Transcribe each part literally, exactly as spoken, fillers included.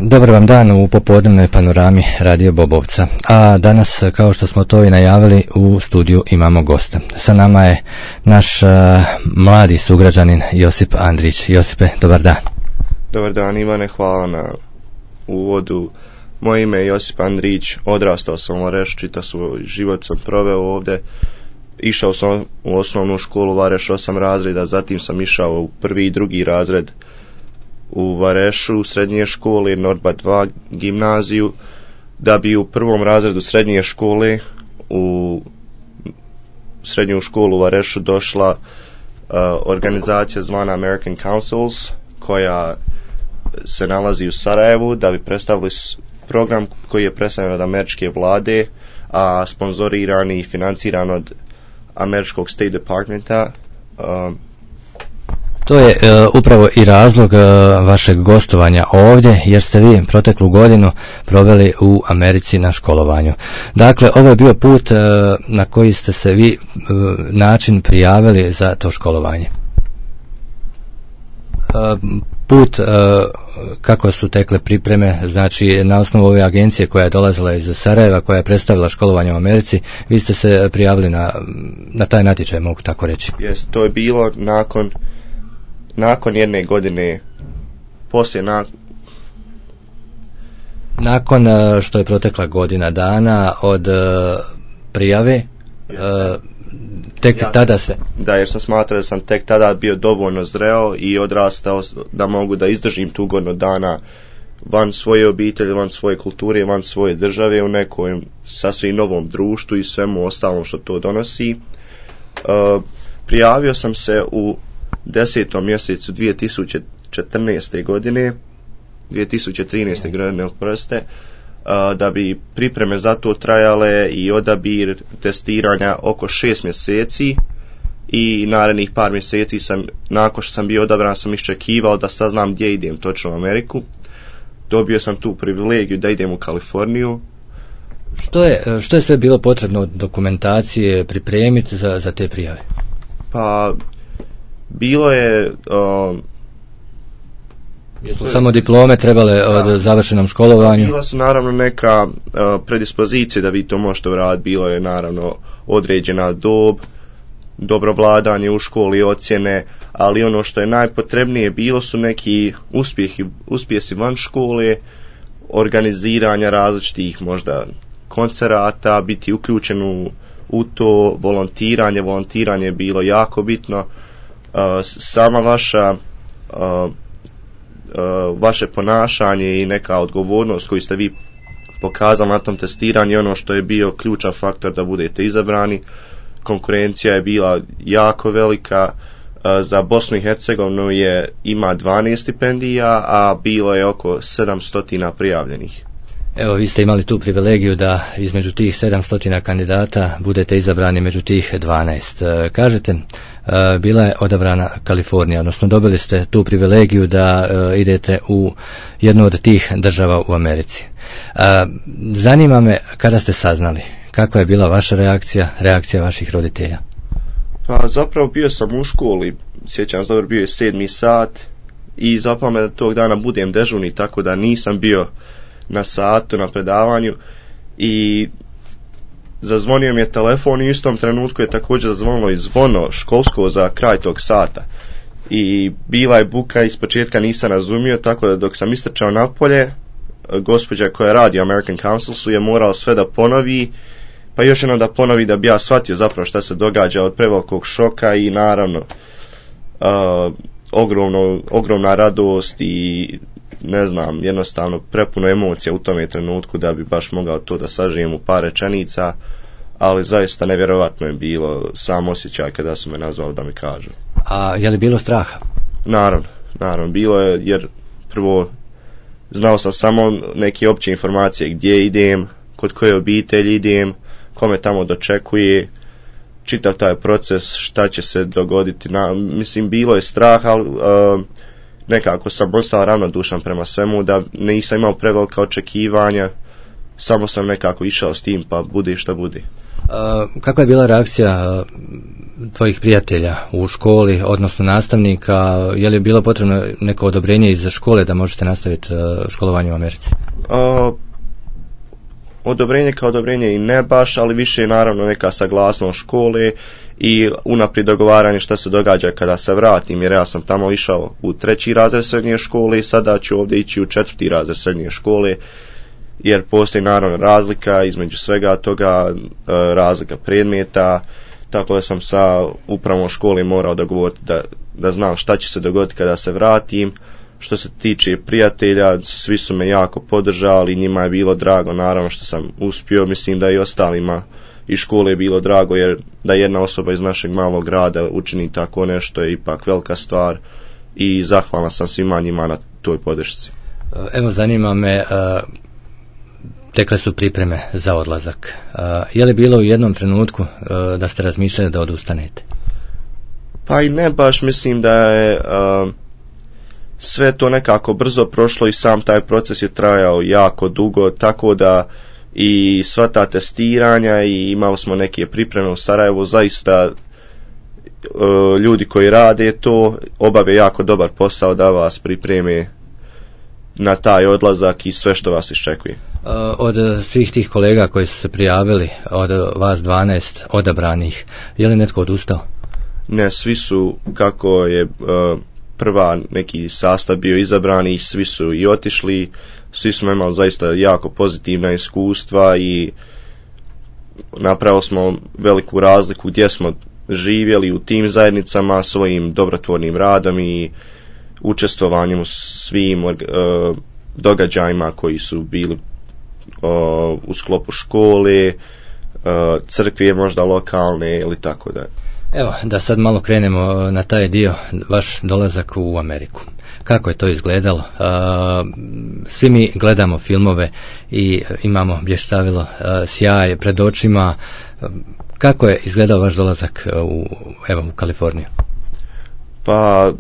Dobar vam dan u popodnevnoj panorami Radio Bobovca. A danas, kao što smo to i najavili, u studiju imamo gosta. Sa nama je naš uh, mladi sugrađanin Josip Andrić. Josipe, dobar dan. Dobar dan, Ivane, hvala na uvodu. Moje ime je Josip Andrić, odrastao sam u Varešu, čitav svoj život sam proveo ovdje. Išao sam u osnovnu školu u Vareš osam razreda, zatim sam išao u prvi i drugi razred u Varešu srednje škole, Nordba dva gimnaziju, da bi u prvom razredu srednje škole u srednju školu u Varešu došla uh, organizacija zvana American Councils, koja se nalazi u Sarajevu, da bi predstavili program koji je predstavljen od američke vlade, a sponzoriran i financiran od američkog State Departmenta. Um, To je e, upravo i razlog e, vašeg gostovanja ovdje, jer ste vi proteklu godinu proveli u Americi na školovanju. Dakle, ovo je bio put e, na koji ste se vi e, način prijavili za to školovanje. E, put, e, kako su tekle pripreme, znači na osnovu ove agencije koja je dolazila iz Sarajeva, koja je predstavila školovanje u Americi, vi ste se prijavili na, na taj natječaj, mogu tako reći. Jest, to je bilo nakon nakon jedne godine, poslije na... nakon što je protekla godina dana od uh, prijave, uh, tek ja, tada se... Da, jer sam smatrao da sam tek tada bio dovoljno zreo i odrastao da mogu da izdržim tu godinu dana van svoje obitelji, van svoje kulture, van svoje države, u nekom sasvim novom društvu i svemu ostalom što to donosi. Uh, prijavio sam se u desetom mjesecu dvije tisuće četrnaeste godine, dvije tisuće trinaeste godine, oprostite, da bi pripreme za to trajale i odabir testiranja oko šest mjeseci i narednih par mjeseci sam, nakon što sam bio odabran, sam iščekivao da saznam gdje idem točno u Ameriku. Dobio sam tu privilegiju da idem u Kaliforniju. Što je, što je sve bilo potrebno od dokumentacije pripremiti za, za te prijave? Pa bilo je um, jesu samo diplome trebale od da, završenom školovanju? Bila su naravno neka uh, predispozicije da vi to možete uraditi. Bilo je naravno određena dob, dobro vladanje u školi, ocjene, ali ono što je najpotrebnije bilo su neki uspjehi, uspjesi van škole, organiziranja različitih možda koncerata, biti uključen u, u to, volontiranje, volontiranje je bilo jako bitno. Uh, sama vaša uh, uh, vaše ponašanje i neka odgovornost koju ste vi pokazali na tom testiranju je ono što je bio ključan faktor da budete izabrani. Konkurencija je bila jako velika. Uh, za Bosnu i Hercegovinu je ima dvanaest stipendija, a bilo je oko sedamsto prijavljenih. Evo, vi ste imali tu privilegiju da između tih sedamsto kandidata budete izabrani među tih dvanaest. Kažete, bila je odabrana Kalifornija, odnosno dobili ste tu privilegiju da idete u jednu od tih država u Americi. Zanima me kada ste saznali, kakva je bila vaša reakcija, reakcija vaših roditelja? Pa zapravo bio sam u školi, sjećam se dobro, bio je sedmi sat i zapalo me da tog dana budem dežurni, tako da nisam bio na satu, na predavanju, i zazvonio mi je telefon i u istom trenutku je također zazvonilo i zvono školsko za kraj tog sata i bila je buka, iz početka nisam razumio, tako da dok sam istrčao napolje, gospođa koja radi u American Councilsu je morala sve da ponovi, pa još jedno da ponovi da bi ja shvatio zapravo šta se događa od prevelikog šoka i naravno uh, ogromno, ogromna radost i ne znam, jednostavno prepuno emocija u tome trenutku da bi baš mogao to da sažijem u par rečenica, ali zaista nevjerovatno je bilo sam osjećaj kada su me nazvali da mi kažu. A je li bilo straha? Naravno, naravno, bilo je, jer prvo znao sam samo neke opće informacije gdje idem, kod koje obitelji idem, kome tamo dočekuje, čitav taj proces, šta će se dogoditi. Na, mislim, bilo je strah, ali uh, nekako sam ostao ravnodušan prema svemu, da nisam imao prevelika očekivanja, samo sam nekako išao s tim, pa bude šta bude. Uh, kakva je bila reakcija uh, tvojih prijatelja u školi, odnosno nastavnika, je li bilo potrebno neko odobrenje iz škole da možete nastaviti školovanje u Americi? Uh, odobrenje kao odobrenje i ne baš, ali više je naravno neka saglasnost škole i unaprijed dogovaranje šta se događa kada se vratim, jer ja sam tamo išao u treći razred srednje škole i sada ću ovdje ići u četvrti razred srednje škole, jer postoji naravno razlika između svega toga, razlika predmeta, tako da sam sa upravom škole morao dogovoriti da, da znam šta će se dogoditi kada se vratim. Što se tiče prijatelja, svi su me jako podržali, njima je bilo drago naravno što sam uspio, mislim da i ostalima iz škole je bilo drago, jer da jedna osoba iz našeg malog grada učini tako nešto je ipak velika stvar i zahvalan sam svima njima na toj podršci. Evo, zanima me, tekle su pripreme za odlazak. Je li bilo u jednom trenutku da ste razmišljali da odustanete? Pa i ne baš, mislim da je sve to nekako brzo prošlo i sam taj proces je trajao jako dugo, tako da i sva ta testiranja i imali smo neke pripreme u Sarajevu, zaista ljudi koji rade to obave jako dobar posao da vas pripreme na taj odlazak i sve što vas iščekuje. Od svih tih kolega koji su se prijavili, od vas dvanaest odabranih, je li netko odustao? Ne, svi su, kako je prva neki sastav bio izabran i svi su i otišli, svi smo imali zaista jako pozitivna iskustva i napravili smo veliku razliku gdje smo živjeli u tim zajednicama svojim dobrotvornim radom i učestvovanjem u svim uh, događajima koji su bili uh, u sklopu škole, uh, crkve možda lokalne ili tako da. Evo, da sad malo krenemo na taj dio, vaš dolazak u Ameriku. Kako je to izgledalo? Uh, svi mi gledamo filmove i imamo blještavilo uh, sjaj pred očima. Uh, kako je izgledao vaš dolazak u, evo, u Kaliforniju? Pa,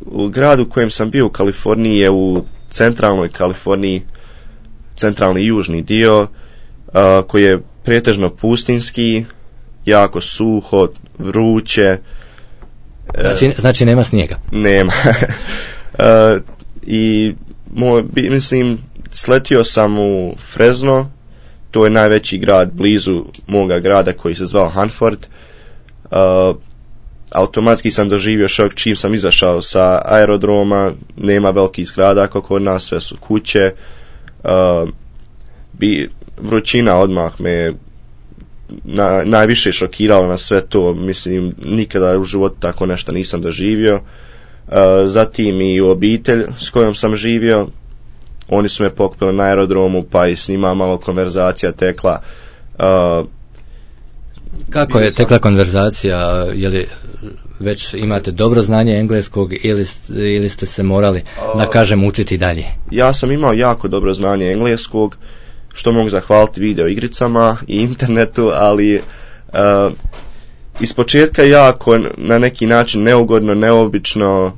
u gradu u kojem sam bio u Kaliforniji je u centralnoj Kaliforniji, centralni južni dio, uh, koji je pretežno pustinski, jako suho, vruće. Znači, znači nema snijega? Nema. uh, I moj, mislim, sletio sam u Fresno, to je najveći grad blizu moga grada koji se zvao Hanford. Uh, automatski sam doživio šok čim sam izašao sa aerodroma, nema velikih zgrada kako kod nas, sve su kuće. Uh, bi, vrućina odmah me na, najviše šokirala na sve to, mislim nikada u životu tako nešto nisam doživio. Uh, zatim i obitelj s kojom sam živio, oni su me pokupili na aerodromu pa i s njima malo konverzacija tekla. Uh, Kako je tekla konverzacija, je li već imate dobro znanje engleskog ili, ili ste se morali, da kažem, učiti dalje? Ja sam imao jako dobro znanje engleskog, što mogu zahvaliti video igricama i internetu, ali uh, iz početka jako na neki način neugodno, neobično,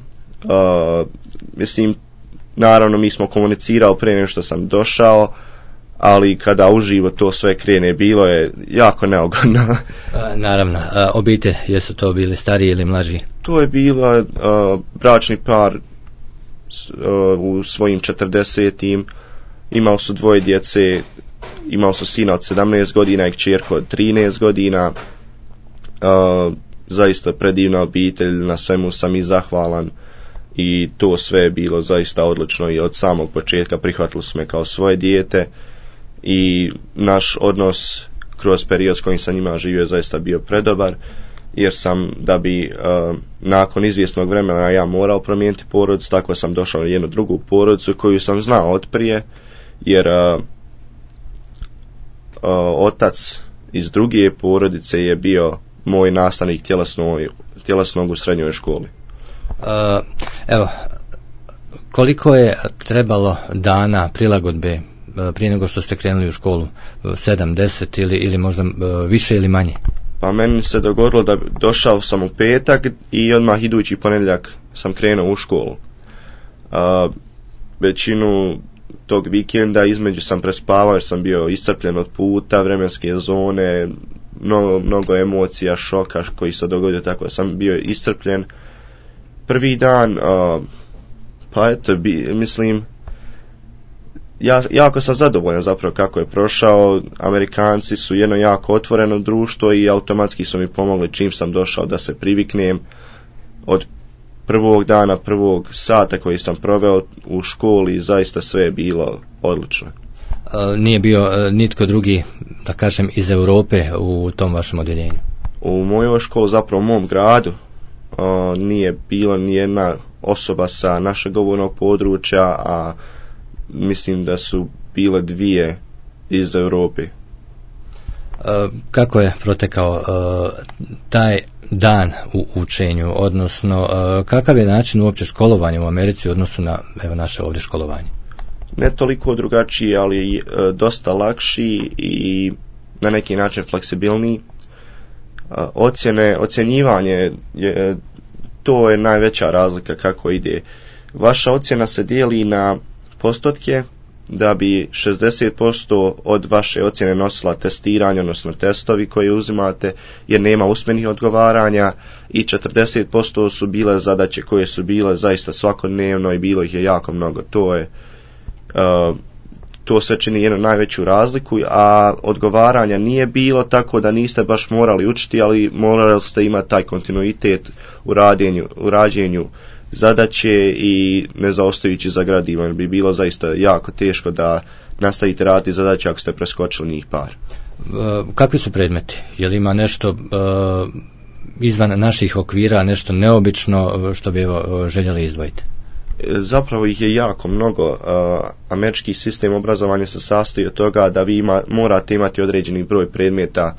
uh, mislim, naravno mi smo komunicirali prije nego što sam došao, ali kada uživo to sve krene, bilo je jako neugodno. A, naravno, a, obitelj, jesu to bili stariji ili mlađi? To je bila uh, bračni par uh, u svojim četrdesetim, imali su dvoje djece, imali su sina od sedamnaest godina i kćerku od trinaest godina, uh, zaista predivna obitelj, na svemu sam i zahvalan i to sve je bilo zaista odlično i od samog početka prihvatili su me kao svoje dijete i naš odnos kroz period s kojim sam njima živio zaista bio predobar, jer sam da bi uh, nakon izvjesnog vremena ja morao promijeniti porodicu, tako sam došao na jednu drugu porodicu koju sam znao od prije, jer uh, uh, otac iz druge porodice je bio moj nastavnik tjelesnog, tjelesnog u srednjoj školi. Uh, evo, koliko je trebalo dana prilagodbe prije nego što ste krenuli u školu? sedam, deset ili, ili možda više ili manje? Pa meni se dogodilo da došao sam u petak i odmah idući ponedjeljak sam krenuo u školu. A, većinu tog vikenda između sam prespavao jer sam bio iscrpljen od puta, vremenske zone, mnogo, mnogo emocija, šoka koji se dogodio, tako da sam bio iscrpljen. Prvi dan, uh, pa eto, bi, mislim, ja, jako sam zadovoljan zapravo kako je prošao. Amerikanci su jedno jako otvoreno društvo i automatski su mi pomogli čim sam došao da se priviknem. Od prvog dana, prvog sata koji sam proveo u školi, zaista sve je bilo odlično. Nije bio nitko drugi, da kažem, iz Europe u tom vašem odjeljenju? U mojoj školi, zapravo u mom gradu, nije bilo ni jedna osoba sa našeg govornog područja, a mislim da su bile dvije iz Europe. Kako je protekao taj dan u učenju, odnosno kakav je način uopće školovanja u Americi u odnosu na evo, naše ovdje školovanje? Ne toliko drugačiji, ali e, dosta lakši i na neki način fleksibilniji. E, ocjene, ocjenjivanje, je, to je najveća razlika kako ide. Vaša ocjena se dijeli na postotke, da bi šezdeset posto od vaše ocjene nosila testiranje, odnosno testovi koje uzimate, jer nema usmenih odgovaranja, i četrdeset posto su bile zadaće koje su bile zaista svakodnevno i bilo ih je jako mnogo. To je Uh, to sve čini jednu najveću razliku, a odgovaranja nije bilo, tako da niste baš morali učiti, ali morali ste imati taj kontinuitet u rađenju, u rađenju zadaće i ne zaostajući za gradivom. Bi bilo zaista jako teško da nastavite raditi zadaće ako ste preskočili njih par. Uh, kakvi su predmeti? Je li ima nešto uh, izvan naših okvira, nešto neobično što bi evo, željeli izdvojiti? Zapravo ih je jako mnogo. Uh, američki sistem obrazovanja se sastoji od toga da vi ima, morate imati određeni broj predmeta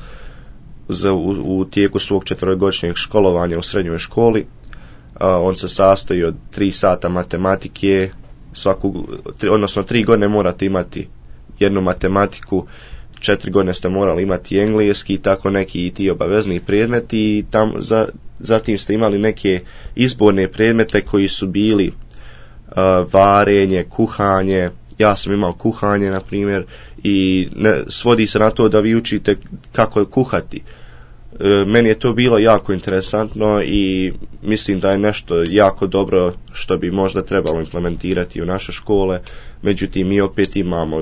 za, u, u tijeku svog četverogodišnjeg školovanja u srednjoj školi. Uh, on se sastoji od tri sata matematike, svaku, tri, odnosno tri godine morate imati jednu matematiku, četiri godine ste morali imati engleski, tako neki i ti obavezni predmeti, i tam, za, zatim ste imali neke izborne predmete koji su bili Uh, varenje, kuhanje. Ja sam imao kuhanje, na primjer, i ne, svodi se na to da vi učite kako kuhati. Uh, meni je to bilo jako interesantno i mislim da je nešto jako dobro što bi možda trebalo implementirati u naše škole. Međutim, mi opet imamo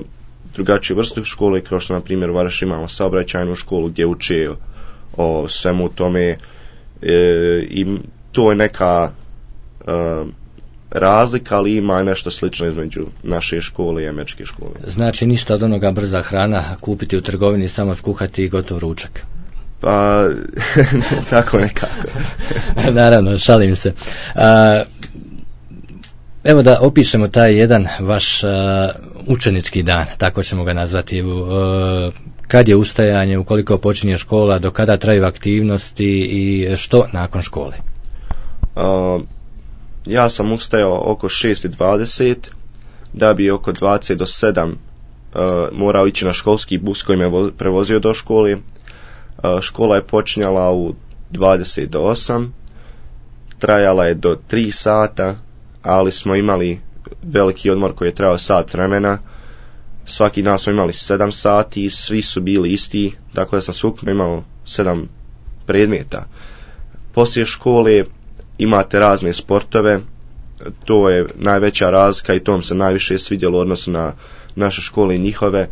drugačiju vrstu škole, kao što na primjer u Varaš imamo saobraćajnu školu gdje uče o svemu tome, e, i to je neka uh, razlika, ali ima nešto slično između naše škole i američke škole. Znači ništa od onoga brza hrana kupiti u trgovini, samo skuhati i gotov ručak. Pa, tako nekako. Naravno, šalim se. A, evo da opišemo taj jedan vaš a, učenički dan, tako ćemo ga nazvati. A, kad je ustajanje, ukoliko počinje škola, do kada traju aktivnosti i što nakon škole? A, Ja sam ustajao oko šest i dvadeset, da bi oko dvadeset do sedam uh, morao ići na školski bus koji me vo- prevozio do škole. Uh, škola je počinjala u dvadeset do osam, trajala je do tri sata, ali smo imali veliki odmor koji je trajao sat vremena. Svaki dan smo imali sedam sati i svi su bili isti, tako da sam svukupno imao sedam predmeta. Poslije škole imate razne sportove, to je najveća razlika i to mi se najviše svidjelo u odnosu na naše škole i njihove.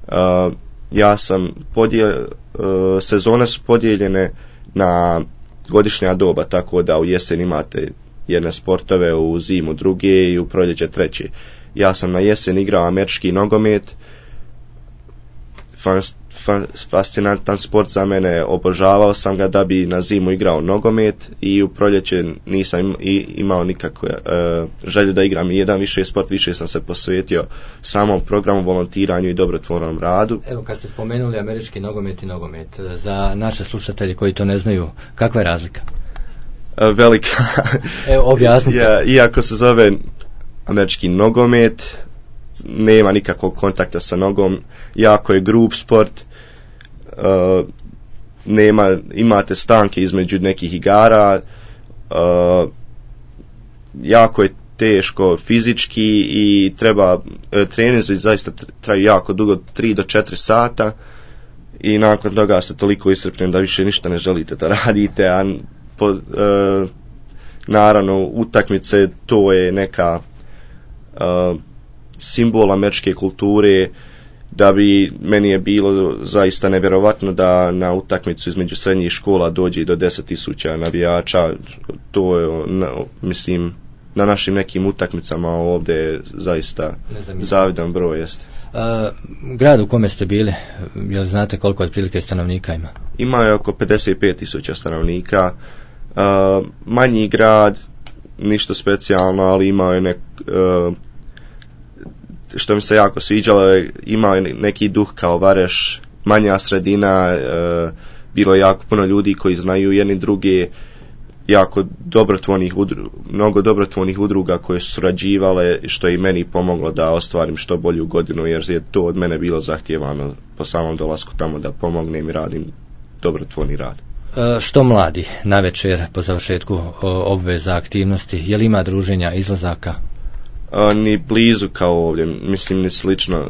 Uh, ja sam podijel, uh, sezone su podijeljene na godišnja doba, tako da u jesen imate jedne sportove, u zimu druge i u proljeće treće. Ja sam na jesen igrao američki nogomet, Fas, fas, fascinantan sport za mene, obožavao sam ga, da bi na zimu igrao nogomet, i u proljeće nisam im, i, imao nikakve uh, želje da igram jedan više sport, više sam se posvetio samom programu, volontiranju i dobrotvornom radu. Evo, kad ste spomenuli američki nogomet i nogomet, za naše slušatelje koji to ne znaju, kakva je razlika? Uh, velika. Evo, objasnite. Ja, iako se zove američki nogomet, nema nikakvog kontakta sa nogom, jako je grub sport, uh, nema, imate stanke između nekih igara, uh, jako je teško fizički i treba, uh, treninzi zaista traju jako dugo, tri do četiri sata, i nakon toga ste toliko iscrpljeni da više ništa ne želite da radite, a po, e, naravno utakmice to je neka e, simbol američke kulture, da bi meni je bilo zaista nevjerovatno da na utakmicu između srednjih škola dođe do deset tisuća navijača. To je, na, mislim, na našim nekim utakmicama ovdje zaista zavidan broj jeste. A, grad u kome ste bili, jel znate koliko otprilike stanovnika ima? Ima je oko pedeset pet tisuća stanovnika. A, manji grad, ništa specijalno, ali imao je nek, a, što mi se jako sviđalo, imao je neki duh kao Vareš, manja sredina, a, bilo je jako puno ljudi koji znaju jedni druge, jako dobrotvornih udruga, mnogo dobrotvornih udruga koje su surađivale, što je i meni pomoglo da ostvarim što bolju godinu, jer je to od mene bilo zahtijevano po samom dolasku tamo da pomognem i radim dobrotvorni rad. E, što mladi na večer po završetku obveza aktivnosti, je li ima druženja, izlazaka? E, ni blizu kao ovdje, mislim ni slično. E,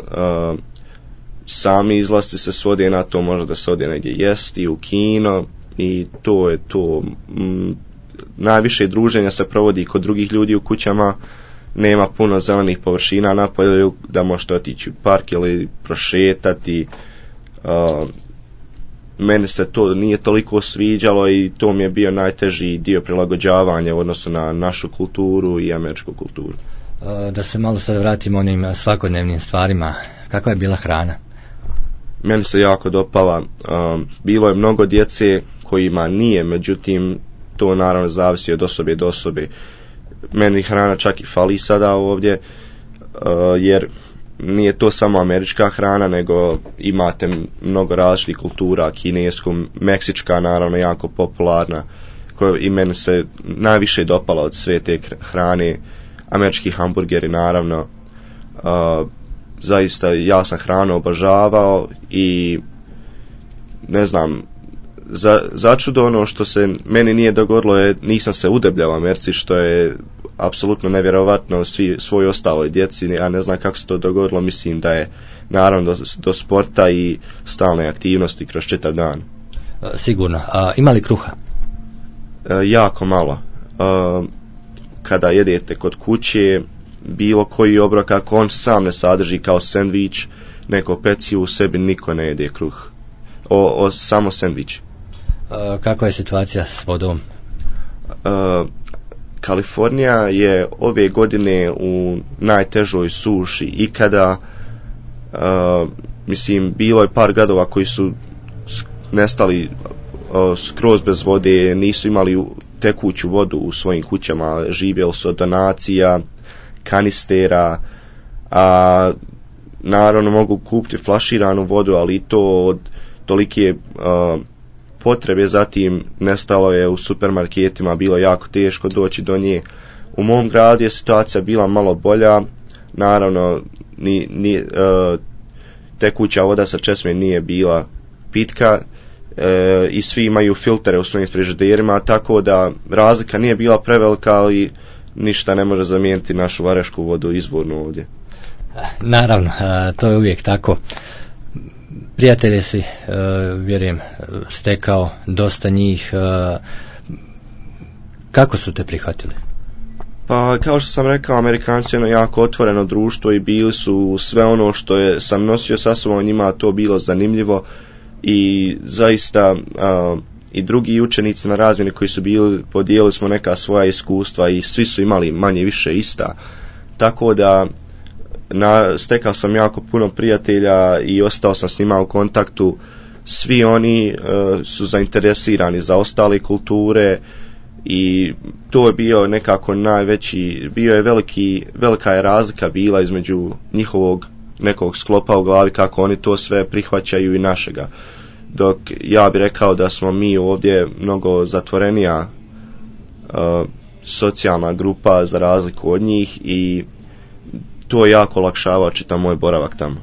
sami izlasti se svode na to, možda da se ode negdje jesti, u kino, i to je to. Mm, najviše druženja se provodi kod drugih ljudi u kućama, nema puno zelenih površina na polju da možete otići u park ili prošetati. Uh, meni se to nije toliko sviđalo i to mi je bio najteži dio prilagođavanja u odnosu na našu kulturu i američku kulturu. Uh, da se malo sad vratimo onim svakodnevnim stvarima, kakva je bila hrana? Meni se jako dopala. Um, bilo je mnogo djece kojima nije, međutim to naravno zavisi od osobe do osobe. Meni hrana čak i fali sada ovdje, uh, jer nije to samo američka hrana, nego imate mnogo različitih kultura, kinesku, meksička naravno jako popularna, koja i meni se najviše dopala od sve te hrane. Američki hamburgeri naravno, uh, zaista ja sam hranu obožavao i ne znam, za, začudo ono što se meni nije dogodilo je, nisam se udebljao u Americi, što je apsolutno nevjerovatno svi svoj ostaloj djeci, ja ne znam kako se to dogodilo, mislim da je naravno do, do sporta i stalne aktivnosti kroz čitav dan. Sigurno. A ima li kruha? E, jako malo. E, kada jedete kod kuće, bilo koji obrok, ako on sam ne sadrži kao sendvič, neko pecivo, u sebi niko ne jede kruh. O, o samo sendvič. Uh, kakva je situacija s vodom? Uh, Kalifornija je ove godine u najtežoj suši ikada. Uh, mislim, bilo je par gradova koji su nestali uh, skroz bez vode, nisu imali tekuću vodu u svojim kućama, živjeli su od donacija, kanistera, a naravno mogu kupiti flaširanu vodu, ali to od tolike uh, potrebe zatim nestalo je u supermarketima, bilo jako teško doći do nje. U mom gradu je situacija bila malo bolja, naravno ni, ni, uh, tekuća voda sa česme nije bila pitka, uh, i svi imaju filtere u svojim frižiderima, tako da razlika nije bila prevelika, ali ništa ne može zamijeniti našu varešku vodu izvornu ovdje. Naravno, to je uvijek tako. Prijatelje si, vjerujem, stekao dosta njih. Kako su te prihvatili? Pa, kao što sam rekao, Amerikanci je jedno jako otvoreno društvo i bili su sve ono što je sam nosio sa sobom, njima to bilo zanimljivo i zaista uh, i drugi učenici na razmjeni koji su bili, podijelili smo neka svoja iskustva i svi su imali manje više ista. Tako da na, stekao sam jako puno prijatelja i ostao sam s njima u kontaktu. Svi oni uh, su zainteresirani za ostale kulture i to je bio nekako najveći, bio je veliki, velika je razlika bila između njihovog nekog sklopa u glavi kako oni to sve prihvaćaju i našega. Dok ja bih rekao da smo mi ovdje mnogo zatvorenija uh, socijalna grupa za razliku od njih i to je jako olakšava čitav moj boravak tamo.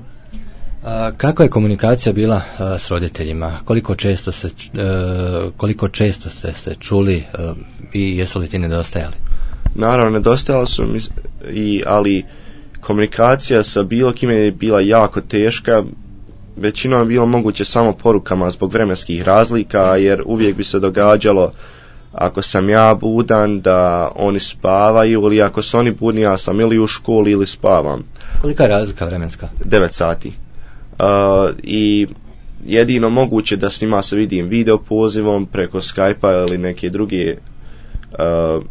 A, kako je komunikacija bila a, s roditeljima? Koliko često se a, koliko često ste se čuli a, i jesu li ti nedostajali? Naravno, nedostajali su mi, i, ali komunikacija sa bilo kime je bila jako teška. većinom je bilo moguće samo porukama zbog vremenskih razlika, jer uvijek bi se događalo ako sam ja budan da oni spavaju, ili ako su oni budni ja sam ili u školi ili spavam. Kolika je razlika vremenska? devet sati. Uh, I jedino moguće da s njima se vidim video pozivom preko Skype-a ili neke druge uh,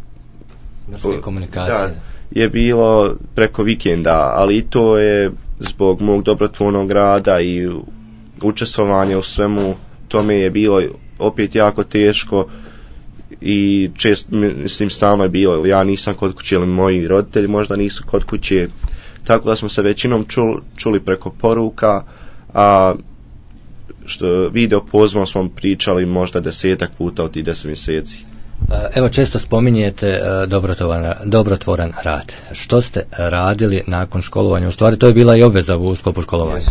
komunikacije. Da, je bilo preko vikenda, ali i to je zbog mog dobrotvornog rada i učestvovanja u svemu tome je bilo opet jako teško i često, mislim, stalno je bilo, ja nisam kod kuće ili moji roditelji možda nisu kod kuće, tako da smo se većinom čuli, čuli preko poruka, a što video pozivom smo pričali možda desetak puta od tih deset mjeseci. Evo, često spominjete dobrotvoran, dobrotvoran rad. Što ste radili nakon školovanja? U stvari to je bila i obveza u sklopu školovanja.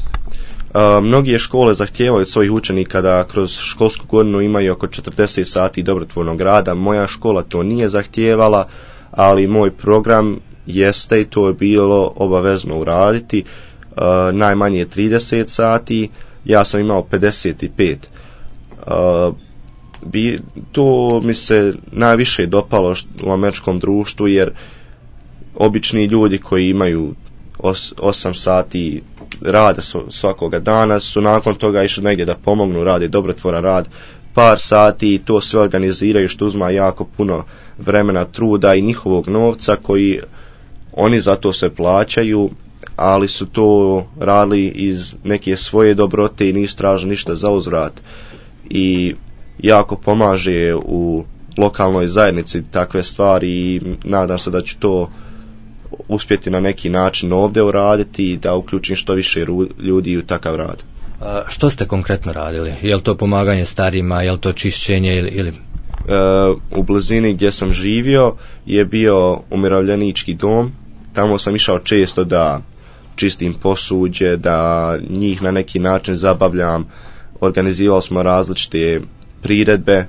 Uh, mnogi škole zahtijevaju od svojih učenika da kroz školsku godinu imaju oko četrdeset sati dobrotvornog rada. Moja škola to nije zahtijevala, ali moj program jeste i to je bilo obavezno uraditi. Uh, najmanje trideset sati, ja sam imao pedeset pet. Uh, bi, to mi se najviše dopalo u američkom društvu, jer obični ljudi koji imaju os, osam sati rada svakoga dana su nakon toga išli negdje da pomognu, rade dobrotvoran rad par sati i to sve organiziraju, što uzma jako puno vremena, truda i njihovog novca koji oni za to se plaćaju, ali su to radili iz neke svoje dobrote i nisu tražili ništa za uzvrat i jako pomaže u lokalnoj zajednici takve stvari i nadam se da ću to uspjeti na neki način ovdje uraditi i da uključim što više ljudi u takav rad. A što ste konkretno radili? Je li to pomaganje starima, je li to čišćenje ili... ili... E, u blizini gdje sam živio je bio umirovljenički dom, tamo sam išao često da čistim posuđe, da njih na neki način zabavljam, organizirali smo različite priredbe,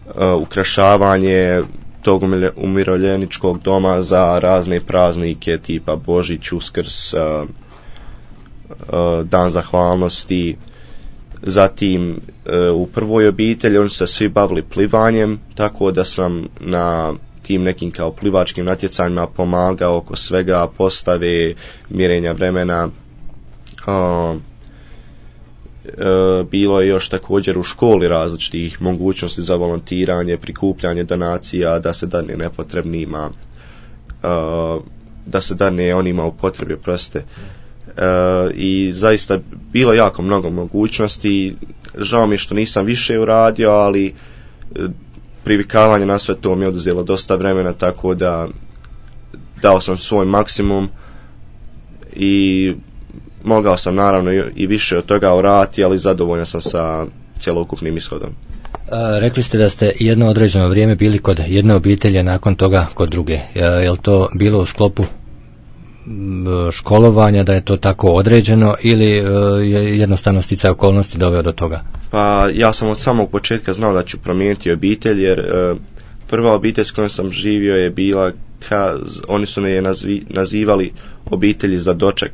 uh, ukrašavanje tog umirovljeničkog doma za razne praznike tipa Božić, Uskrs, uh, uh, Dan zahvalnosti. Zatim uh, u prvoj obitelji oni su se svi bavili plivanjem, tako da sam na tim nekim kao plivačkim natjecanjima pomagao oko svega, postave, mjerenja vremena. Uh, E, bilo je još također u školi različitih mogućnosti za volontiranje, prikupljanje donacija, da se dane nepotrebnima, e, da se dane onima u potrebi, proste. E, i zaista bilo jako mnogo mogućnosti. Žao mi je što nisam više uradio, ali e, privikavanje na sve to mi je oduzelo dosta vremena, tako da dao sam svoj maksimum i mogao sam naravno i više od toga uraditi, ali zadovoljan sam sa cjelokupnim ishodom. A, rekli ste da ste jedno određeno vrijeme bili kod jedne obitelje, nakon toga kod druge. A, je li to bilo u sklopu školovanja, da je to tako određeno, ili je jednostavno sticaj okolnosti doveo do toga? Pa ja sam od samog početka znao da ću promijeniti obitelj, jer e, prva obitelj s kojom sam živio je bila, ka, oni su me je nazvi, nazivali obitelji za doček.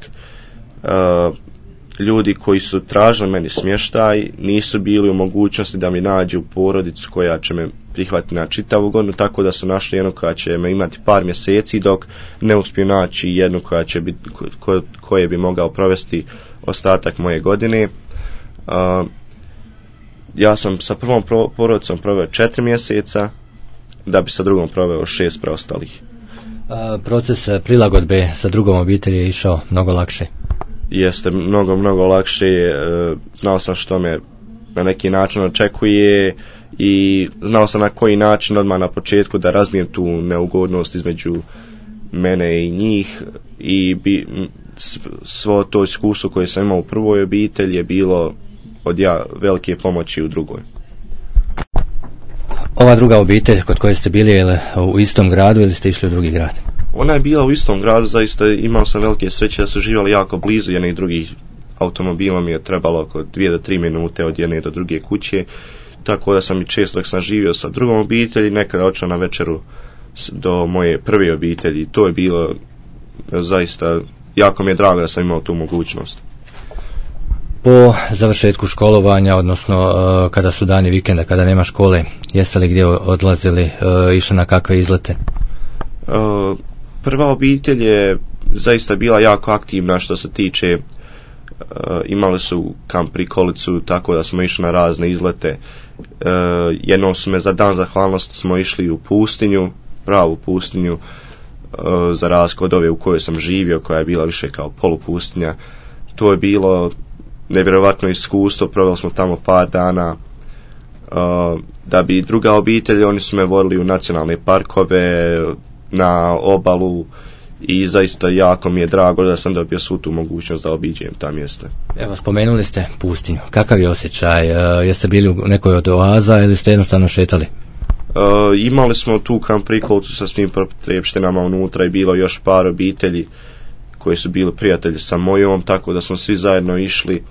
Uh, ljudi koji su tražili meni smještaj nisu bili u mogućnosti da mi nađu porodicu koja će me prihvatiti na čitavu godinu, tako da su našli jednu koja će me imati par mjeseci, dok ne uspiju naći jednu koja će biti, ko, koje bi mogao provesti ostatak moje godine. Uh, ja sam sa prvom pro, porodicom proveo četiri mjeseca, da bi sa drugom proveo šest preostalih. A, proces prilagodbe sa drugom obitelji je išao mnogo lakše? Jeste mnogo, mnogo lakše. Znao sam što me na neki način očekuje i znao sam na koji način odmah na početku da razbijem tu neugodnost između mene i njih i bi, svo to iskustvo koje sam imao u prvoj obitelji je bilo od ja velike pomoći u drugoj. Ova druga obitelj kod koje ste bili, je li u istom gradu ili ste išli u drugi grad? Ona je bila u istom gradu, zaista imao sam velike sreće da su živjeli jako blizu jednih drugih. Automobilom mi je trebalo oko dvije do tri minute od jedne do druge kuće, tako da sam i često dok sam živio sa drugom obitelji nekada otišao na večeru do moje prve obitelji. To je bilo zaista, jako mi je drago da sam imao tu mogućnost. po završetku školovanja, odnosno uh, kada su dani vikenda, kada nema škole, jeste li gdje odlazili, uh, išli na kakve izlete? Uh, prva obitelj je zaista bila jako aktivna što se tiče, uh, imali su kamp prikolicu, tako da smo išli na razne izlete. Uh, jednom su me za dan zahvalnosti smo išli u pustinju, pravu pustinju, uh, za razliku od ove u kojoj sam živio, koja je bila više kao polupustinja. To je bilo nevjerovatno iskustvo, proveli smo tamo par dana. Uh, da bi druga obitelj, oni su me vodili u nacionalne parkove, na obalu, i zaista jako mi je drago da sam dobio svu tu mogućnost da obiđem ta mjesta. Evo, spomenuli ste pustinju. Kakav je osjećaj? Uh, jeste bili u nekoj od oaza ili ste jednostavno šetali? Uh, imali smo tu kamp prikolicu sa svim potrebštinama unutra i bilo još par obitelji koji su bili prijatelji sa mojom, tako da smo svi zajedno išli.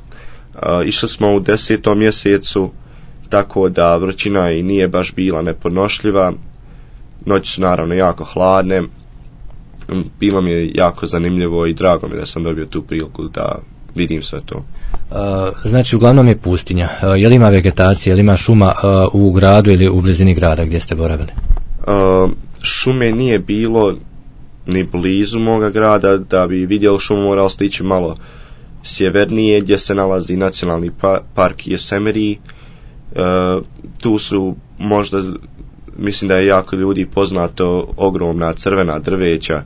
Uh, išli smo u desetom mjesecu, tako da vrućina i nije baš bila nepodnošljiva. Noći su naravno jako hladne. Bilo mi je jako zanimljivo i drago mi da sam dobio tu priliku da vidim sve to. Uh, znači, uglavnom je pustinja. Uh, je li ima vegetacije, je li ima šuma uh, u gradu ili u blizini grada gdje ste boravili? Uh, šume nije bilo ni blizu moga grada. Da bi vidjeli šumu morali ste ići malo sjevernije gdje se nalazi nacionalni pa- park Yosemite. Uh, tu su možda, mislim da je jako ljudi poznato, ogromna crvena drveća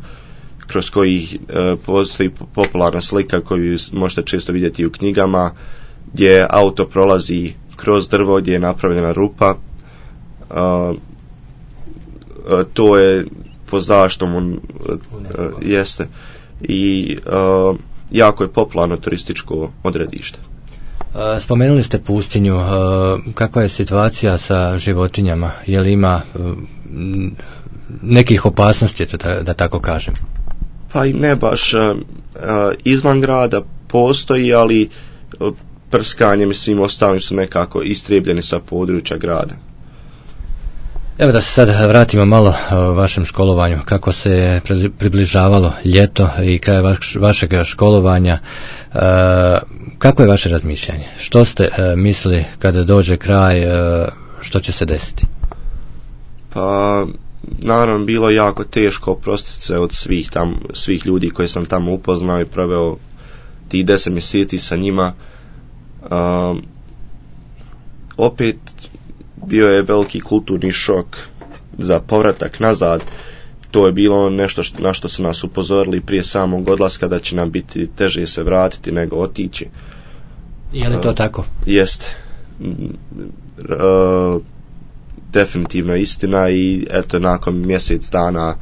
kroz kojih uh, postoji popularna slika koju možete često vidjeti u knjigama, gdje auto prolazi kroz drvo, gdje je napravljena rupa. Uh, uh, to je po zaštom uh, uh, jeste i uh, jako je popularno turističko odredište. Spomenuli ste pustinju. Kakva je situacija sa životinjama? Je li ima nekih opasnosti, da, da tako kažem? Pa i ne baš. Izvan grada postoji, ali prskanjem i svim ostalim su nekako istrijebljeni sa područja grada. Evo da se sad vratimo malo vašem školovanju. Kako se je približavalo ljeto i kraj vaš, vašeg školovanja, e, kako je vaše razmišljanje? Što ste e, mislili kada dođe kraj, e, što će se desiti? Pa naravno bilo jako teško oprostiti se od svih, tam, svih ljudi koje sam tamo upoznao i proveo tih deset mjeseci sa njima. E, opet bio je veliki kulturni šok za povratak nazad. To je bilo nešto što, na što su nas upozorili prije samog odlaska, da će nam biti teže se vratiti nego otići. Je li to uh, tako? Jest. Uh, definitivno istina i eto nakon mjesec dana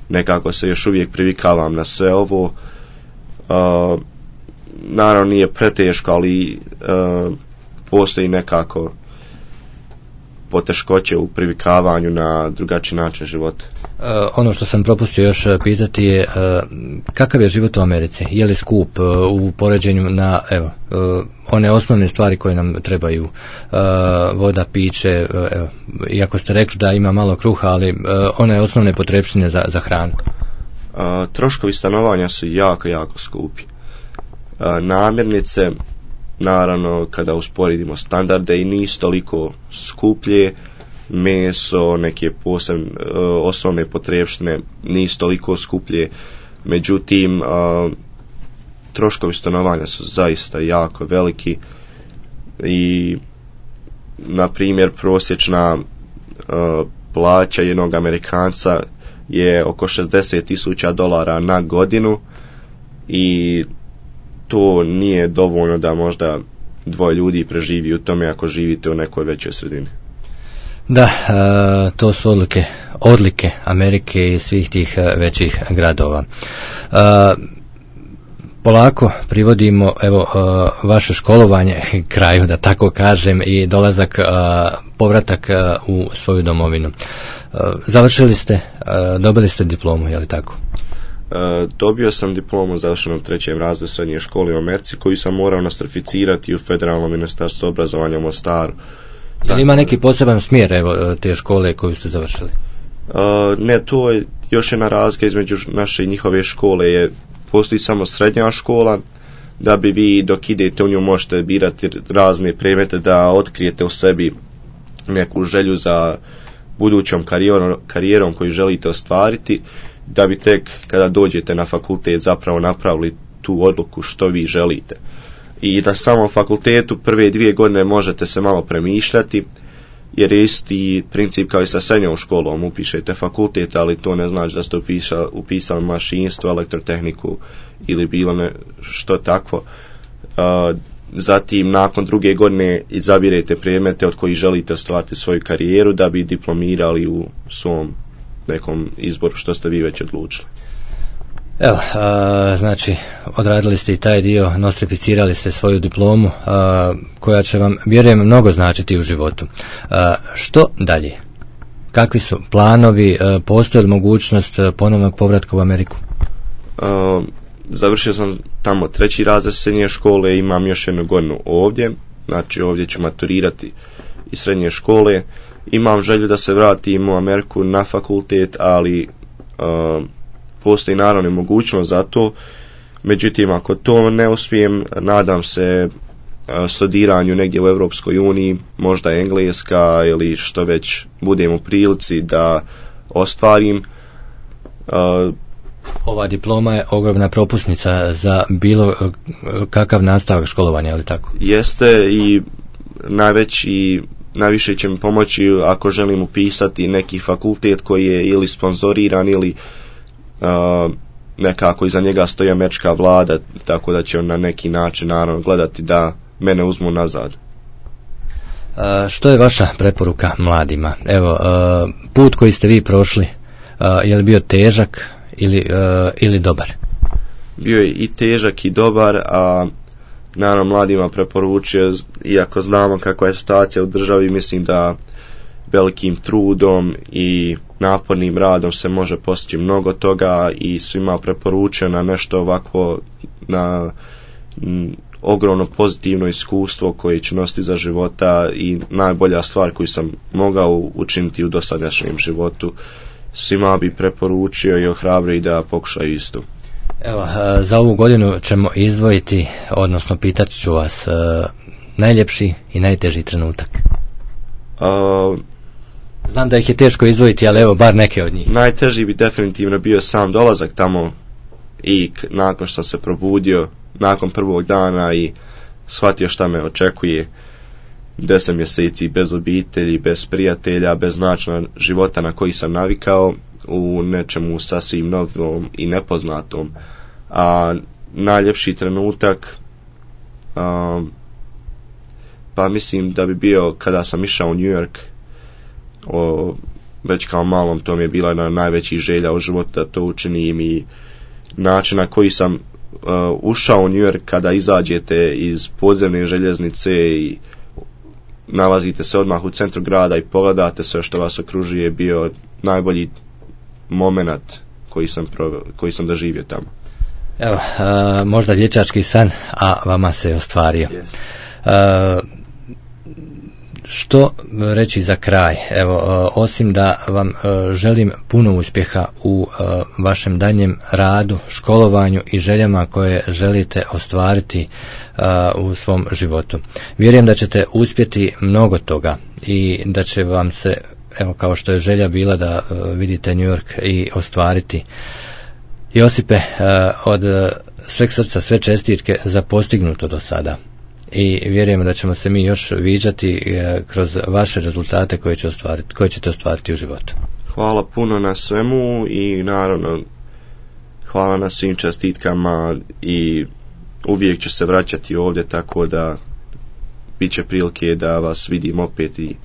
nekako se još uvijek privikavam na sve ovo. Uh, naravno nije preteško, ali uh, postoji nekako poteškoće u privikavanju na drugačiji način života. Uh, ono što sam propustio još pitati je uh, kakav je život u Americi? Je li skup uh, u poređenju na evo uh, one osnovne stvari koje nam trebaju, uh, voda, piće, uh, evo, iako ste rekli da ima malo kruha, ali uh, one osnovne potrebštine za, za hranu? Uh, troškovi stanovanja su jako, jako skupi. Uh, namirnice, naravno kada usporedimo standarde, i nisu toliko skuplje. Meso, neke posebne uh, osnovne potrebštine nisu toliko skuplje. Međutim, uh, troškovi stanovanja su zaista jako veliki i na primjer prosječna uh, plaća jednog Amerikanca je oko šezdeset tisuća dolara na godinu i to nije dovoljno da možda dvoje ljudi preživi u tome ako živite u nekoj većoj sredini. Da, uh, to su odlike, odlike Amerike i svih tih uh, većih gradova. Uh, polako privodimo evo uh, vaše školovanje kraju, da tako kažem, i dolazak, uh, povratak uh, u svoju domovinu. Uh, završili ste, uh, dobili ste diplomu, je li tako? Uh, dobio sam diplomu u završenom trećem razredu srednje škole u Americi, koju sam morao nostrificirati u Federalnom ministarstvu obrazovanja u Mostaru. Je li ima neki poseban smjer evo te škole koju ste završili? Uh, ne, to je još jedna razlika između naše i njihove škole. Je, postoji samo srednja škola, da bi vi dok idete u nju možete birati razne predmete, da otkrijete u sebi neku želju za budućom karijerom, karijerom koju želite ostvariti, da bi tek kada dođete na fakultet zapravo napravili tu odluku što vi želite. I na samom fakultetu prve dvije godine možete se malo premišljati, jer je isti princip kao i sa srednjom školom, upišete fakultet, ali to ne znači da ste upisali, upisali mašinstvo, elektrotehniku ili bilo ne, što takvo. Uh, zatim nakon druge godine izabirete predmete od kojih želite ostvariti svoju karijeru da bi diplomirali u svom nekom izboru što ste vi već odlučili. Evo, a, znači odradili ste i taj dio, nostrificirali ste svoju diplomu a, koja će vam, vjerujem, mnogo značiti u životu. A, što dalje? Kakvi su planovi, a, postoji li mogućnost ponovnog povratka u Ameriku? A, završio sam tamo treći razred srednje škole, imam još jednu godinu ovdje, znači ovdje ću maturirati iz srednje škole. Imam želju da se vratim u Ameriku na fakultet, ali a, postoji naravno mogućnost za to. Međutim, ako to ne uspijem, nadam se a, studiranju negdje u Europskoj uniji, možda engleska ili što već budem u prilici da ostvarim. A, Ova diploma je ogromna propusnica za bilo kakav nastavak školovanja, ali tako? Jeste, i najveći, najviše će mi pomoći ako želim upisati neki fakultet koji je ili sponzoriran ili uh, nekako iza njega stoji američka vlada, tako da će on na neki način naravno gledati da mene uzmu nazad. Uh, što je vaša preporuka mladima? Evo, uh, put koji ste vi prošli, uh, je li bio težak ili, uh, ili dobar? Bio je i težak i dobar, a naravno mladima preporučio, iako znamo kakva je situacija u državi, mislim da velikim trudom i napornim radom se može postići mnogo toga, i svima preporučio na nešto ovako, na m, ogromno pozitivno iskustvo koje ću nositi za života i najbolja stvar koju sam mogao učiniti u dosadašnjem životu. Svima bi preporučio i ohrabrio da pokušaju isto. Evo, za ovu godinu ćemo izdvojiti, odnosno pitat ću vas, najljepši i najteži trenutak. Uh, Znam da ih je teško izdvojiti, ali evo, bar neke od njih. Najteži bi definitivno bio sam dolazak tamo i k- nakon što se probudio, nakon prvog dana i shvatio šta me očekuje. Deset mjeseci bez obitelji, bez prijatelja, bez načina života na koji sam navikao, u nečemu sasvim novom i nepoznatom. A najljepši trenutak, a, pa mislim da bi bio kada sam išao u New York. O, već kao malom to mi je bila jedna najvećih želja u životu da to učinim, i način na koji sam uh, ušao u New York, kada izađete iz podzemne željeznice i nalazite se odmah u centru grada i pogledate sve što vas okružuje, je bio najbolji moment koji sam, proveo, koji sam doživio tamo. Evo, uh, možda dječački san, a vama se je ostvario. Yes. Uh, Što reći za kraj? Evo, osim da vam želim puno uspjeha u vašem daljnjem radu, školovanju i željama koje želite ostvariti u svom životu. Vjerujem da ćete uspjeti mnogo toga i da će vam se, evo, kao što je želja bila da vidite New York i ostvariti. Josipe, od sveg srca sve čestitke za postignuto do sada. I vjerujemo da ćemo se mi još viđati kroz vaše rezultate koje, će ostvariti, koje ćete ostvariti u životu. Hvala puno na svemu i naravno hvala na svim čestitkama, i uvijek ću se vraćati ovdje, tako da bit će prilike da vas vidim opet i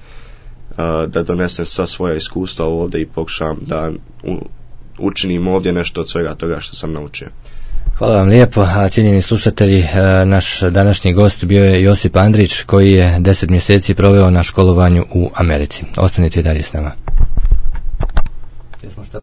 a, da donesem sva svoja iskustva ovdje i pokušam da u, učinim ovdje nešto od svega toga što sam naučio. Hvala vam lijepo, a cijenjeni slušatelji, naš današnji gost bio je Josip Andrić, koji je deset mjeseci proveo na školovanju u Americi. Ostanite i dalje s nama.